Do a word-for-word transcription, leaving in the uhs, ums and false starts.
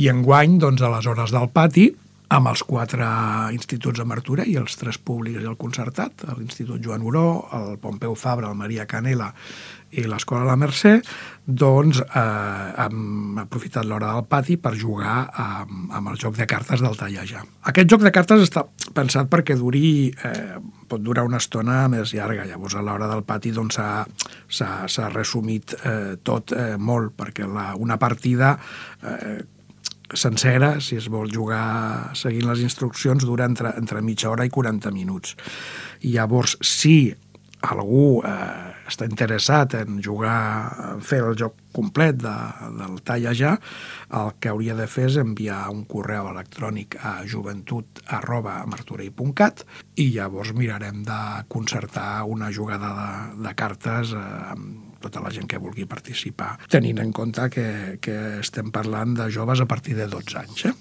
I enguany, doncs, a les hores del pati, amb els quatre instituts de Martorell, els tres públics i el concertat, l'Institut Joan Oró, el Pompeu Fabra, el Maria Canela i l'Escola La Mercè, doncs eh, hem aprofitat l'hora del pati per jugar amb, amb el joc de cartes del tallejar. Aquest joc de cartes està pensat perquè duri, eh, pot durar una estona més llarga, llavors a l'hora del pati doncs, s'ha resumit eh, tot eh, molt, perquè la, una partida eh, sencera, si es vol jugar seguint les instruccions, dura entre, entre mitja hora i quaranta minuts. I llavors, si algú eh, està interessat en jugar, en fer el joc complet de, del tallejar, el que hauria de fer és enviar un correu electrònic a joventut arroba martorell punt cat i llavors mirarem de concertar una jugada de, de cartes eh, amb tota la gent que vulgui participar, tenint en compte que, que estem parlant de joves a partir de dotze anys. Eh?